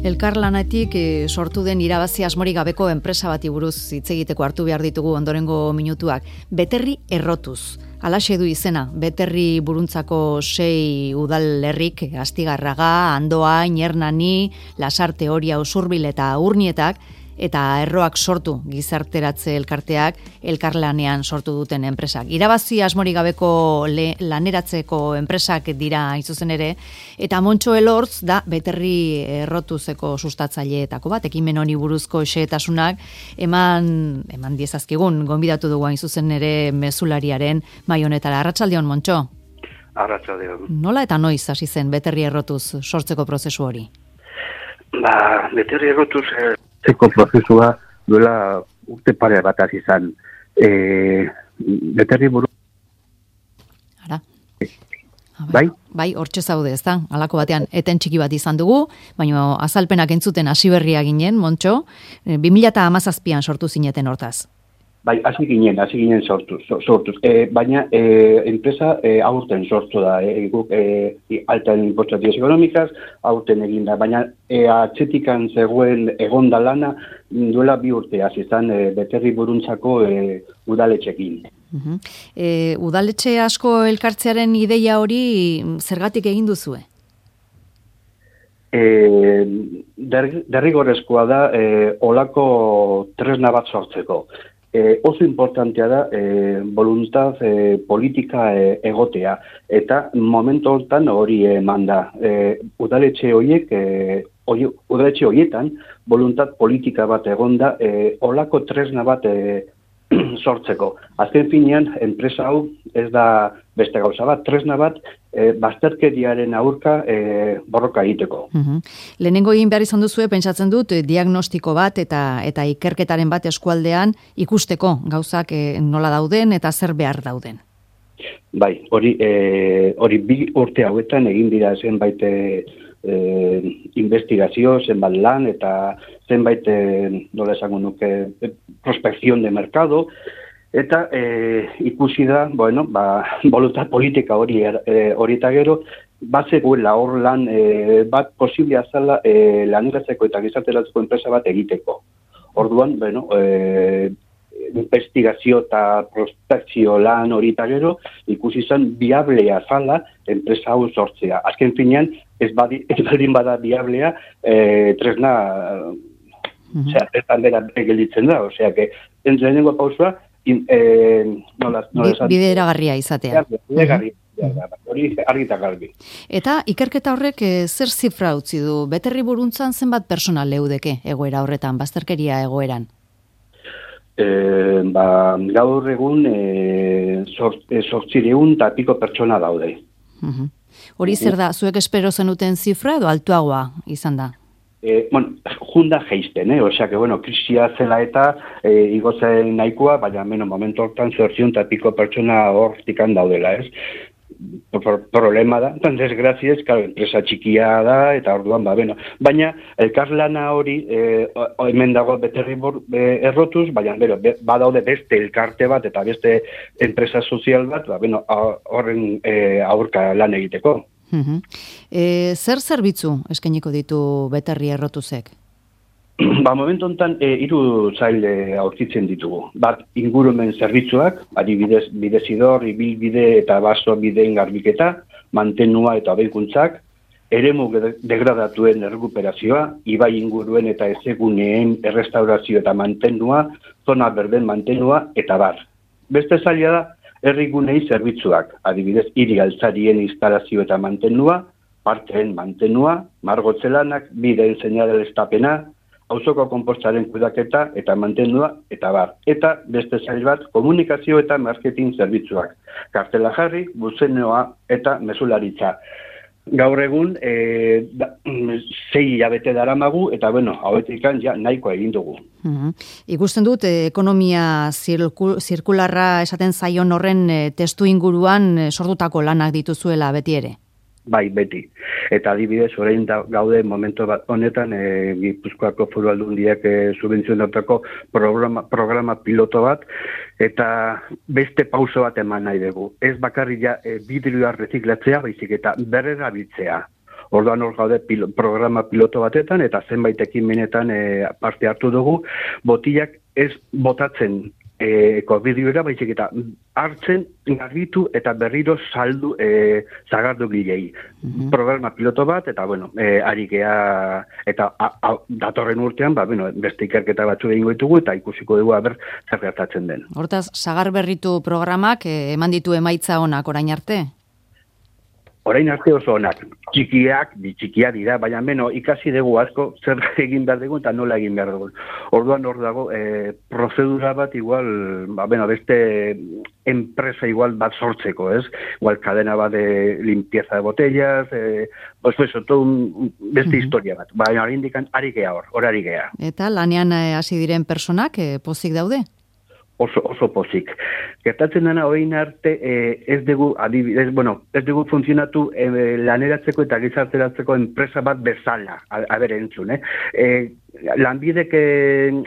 Elkarlanetik sortu den irabazi asmorik gabeko enpresa bati buruz hitz egiteko hartu behar ditugu ondorengo minutuak. Beterri Errotuz. Halaxe du izena, Beterri buruntzako 6 udalerrik, Astigarraga, Andoain, Hernani, Lasarte, Oria, Usurbil eta Urnietak, eta Erroak sortu gizarteratze elkarteak elkarlanean sortu duten enpresak. Irabazi asmorik gabeko laneratzeko enpresak dira hain zuzen ere, eta Montxo Elortz da Beterri Errotuzeko sustatzaileetako bat, ekimen honi buruzko xehetasunak eman diezazkigun, gonbidatu dugu hain zuzen ere mezulariaren mahai honetara. Arratsaldeon, Montxo. Arratsaldeon. Nola eta noiz hasi zen Beterri Errotuz sortzeko prozesu hori? Beterri Errotuz zeko prozesua duela urte pare bat hasi izan. Beterri buru... Ara. Bai? Bai, hortxe zaude, ez da? Halako batean, eten txiki bat izan dugu, baina azalpenak entzuten hasi berria ginen, Montxo, 2017an sortu zineten hortaz. Bai, hasi ginen sortuz. Baina enpresa aurten sortu da, guk alta inportazioz ekonomikaz, aurten eginda. Baina atzetikan zegoen egonda lana duela 2 urte hasi izan Beterri buruntzako udaletxekin. Udaletxe asko elkartzearen ideia hori zergatik egin duzue? Derrigorrezkoa da olako tresna bat sortzeko. Oso importantea da voluntad politika egotea, eta momentu hortan hori eman da. Udaletxe horietan voluntad politika bat egonda, olako tresna bat sortzeko. Azken finean, enpresa hau ez da beste gauza bat, tresna bat bazterkeriaren aurka borroka egiteko. Lehenengo egin behar izan duzue, pentsatzen dut, diagnostiko bat eta ikerketaren bat eskualdean ikusteko gauzak nola dauden eta zer behar dauden. Bai, hori 2 urte hauetan egin dira zenbait investigazio, zenbait lan eta zenbait, nola esango nuke, prospección de mercado, eta ikusi da, voluntad politika hori eta gero, bazegoela hor lan bat posiblea zala laneratzeko eta gizarteratzeko enpresa bat egiteko. Orduan, investigazio eta prospekzio lan hori eta gero, ikusi zen biablea zala enpresa hau sortzea. Azken finean, ez baldin bada biablea, tresna aldera gelditzen da. Osea, lehenengo pausua, bideragarria izatea. Hori argita garbi. Eta ikerketa horrek zer zifra utzi du? Beterri buruntzan zenbat personal leudeke egoera horretan, bazterkeria egoeran? Gaur egun 800 eta piko pertsona daude. Hori zer da, zuek espero zenuten zifra edo altuagoa izan da? Junda geizten, osea que, krisia zela eta igotzen nahikoa, baina momentu hortan 800 eta piko pertsona hortikan daudela, ez? Problema da, desgraziez, enpresa txikia da, eta orduan, baina elkarlana hori, hemen dago Beterri Errotuz, baina badaude beste elkarte bat eta beste enpresa sozial bat, horren aurka lan egiteko. Zer zerbitzu eskainiko ditu Beterri Errotuzek? Momentu honetan 3 sail aurkitzen ditugu. Bat, ingurumen zerbitzuak, adibidez bidezidor, ibilbide eta baso bideen garbiketa, mantenua eta hobekuntzak, eremu degradatuen errekuperazioa, ibai inguruen eta ezeguneen errestaurazio eta mantenua, zona berden mantenua eta bar. Beste zaila da, herrigunei zerbitzuak, adibidez hiri altzarien instalazio eta mantenua, parteen mantenua, margotzelanak, bideen seinaleztapena, auzoko konpostaren kudeaketa eta mantendua eta bar. Eta beste sail bat komunikazio eta marketing zerbitzuak. Kartela jarri, buzenioa eta mezularitza. Gaur egun 6 hilabete daramagu eta hauetik nahikoa egin dugu. Ikusten dut ekonomia zirkularra esaten zaion horren testu inguruan sortutako lanak dituzuela beti ere. Bai, beti. Eta adibidez, orain gaude momentu bat honetan, Gipuzkoako Foru Aldundiak subentzionatutako programa piloto bat, eta beste pauso bat eman nahi dugu. Ez bakarrik vidrioa reziklatzea, baizik eta berrerabiltzea. Orduan hor gaude programa piloto batetan, eta zenbait ekimenetan parte hartu dugu, botilak ez botatzen bideoera, baizik eta hartzen, garbitu eta berriro saldu zagardu gilei. Programa piloto bat, eta bueno, ari gea, eta datorren urtean, beste ikerketa batzu egingo ditugu, eta ikusiko dugu zer gertatzen den. Hortaz, sagar berritu programak eman ditu emaitza onak orain arte? Orain arte oso onak, txikiak dira, baina ikasi dugu asko zer egin behar dugu eta nola egin behar dugu. Orduan hor dago, prozedura bat igual, beste enpresa igual bat sortzeko, ez? Igual cadena bat de limpieza de botellas, beste historia bat. Baina hori indikan ari gea hor ari gea. Eta lanean hasi diren personak pozik daude? Oso pozik. Gertatzen dena orain arte ez dugu funtzionatu laneratzeko eta gizarteratzeko enpresa bat bezala, entzun, Lanbidek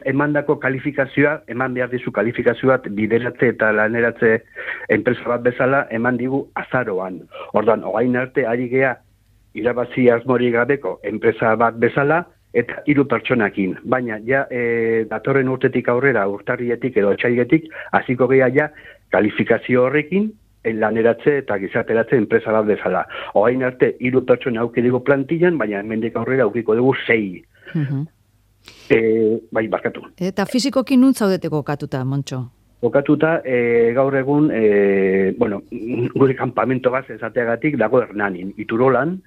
emandako kalifikazioa, eman behar dizu kalifikazioa bideratze eta laneratze enpresa bat bezala eman digu azaroan. Orduan, orain arte ari gea irabazi asmorik gabeko enpresa bat bezala, eta 3 pertsonakin, baina datorren urtetik aurrera, urtarrietik edo otsailetik, hasiko gea kalifikazio horrekin, laneratze eta gizarteratze enpresa bat bezala. Orain arte 3 pertsona auki dugu plantillan, baina hemendik aurrera aukiko dugu 6. Barkatu. Eta fizikoki nun zaudete kokatuta, Montxo? Kokatuta, gaur egun, gure kanpamento bat esateagatik dago Hernanin, Iturolan,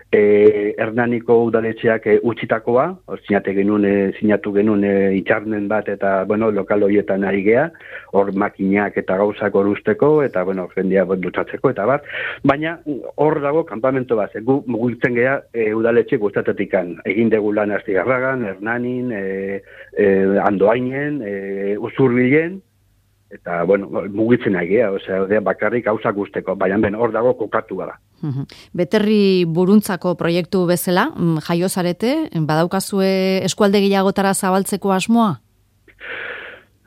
Hernaniko udaletxeak utzitakoa, sinatu genuen itxarnen bat eta, lokal horietan ari gea, hor makinak eta gauzak hor usteko, eta, jendia dutxatzeko, eta bat, baina hor dago kanpamento bat, gu mugitzen gea udaletxe guztatetikan, egin dugu lan Astigarragan, Hernanin, Andoainen, Usurbilen, eta, mugitzen ari gea, bakarrik gauzak usteko, baina hor dago kokatu gara. Beterri buruntzako proiektu bezala, jaio zarete, badaukazue eskualde gehiagotara zabaltzeko asmoa?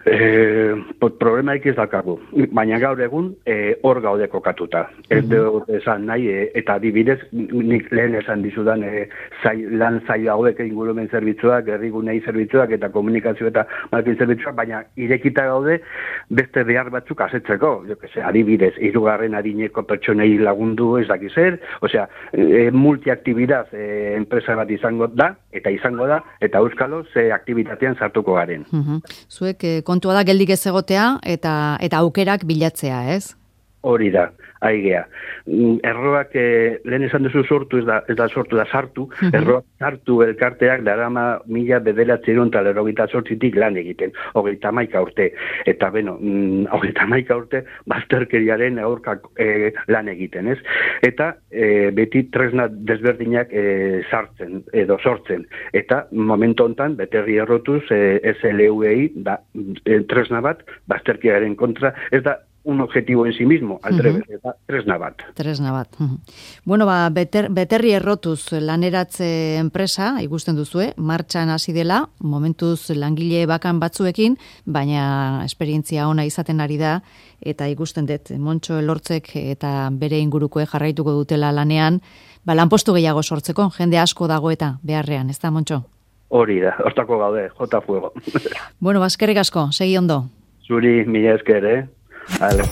Problemaik ez dakagu, baina gaur egun hor gaude kokatuta. Ez dut esan nahi, eta adibidez, nik lehen esan dizudan lan zaila hauek ingurumen zerbitzuak, herrigunei zerbitzuak eta komunikazio eta marketing zerbitzuak, baina irekita gaude beste behar batzuk asetzeko. Adibidez, 3. adineko pertsonei lagundu ez dakiz zer, multiaktibidad enpresa bat izango da, eta euskalo ze aktibitatean sartuko garen. Zuek kontua da geldik ez egotea eta aukerak bilatzea, ez? Hori da, aigea. Erroak, lehen esan duzu sortu, ez da sortu da sartu, erroak sartu elkarteak darama 1988tik lan egiten, 31 urte. Eta, 31 urte bazterkeriaren aurkak lan egiten, ez? Eta beti tresna desberdinak sortzen. Eta momentu hontan, Beterri Errotuz, SLU-ei, tresna bat, bazterkeriaren kontra, ez da un objetivo en sí mismo, al revés, tresna bat. Tresna bat. Beterri Errotuz laneratze enpresa, ikusten duzue, martxan hasi dela, momentuz langile bakan batzuekin, baina esperientzia ona izaten ari da, eta ikusten dut, Montxo Elortzek eta bere ingurukoe jarraituko dutela lanean, lanpostu gehiago sortzeko, jende asko dago eta beharrean, ez da, Montxo? Hori da, hortako gaude, jota fuego. Eskerrik asko, segi ondo. Zuri, mila esker, Vale.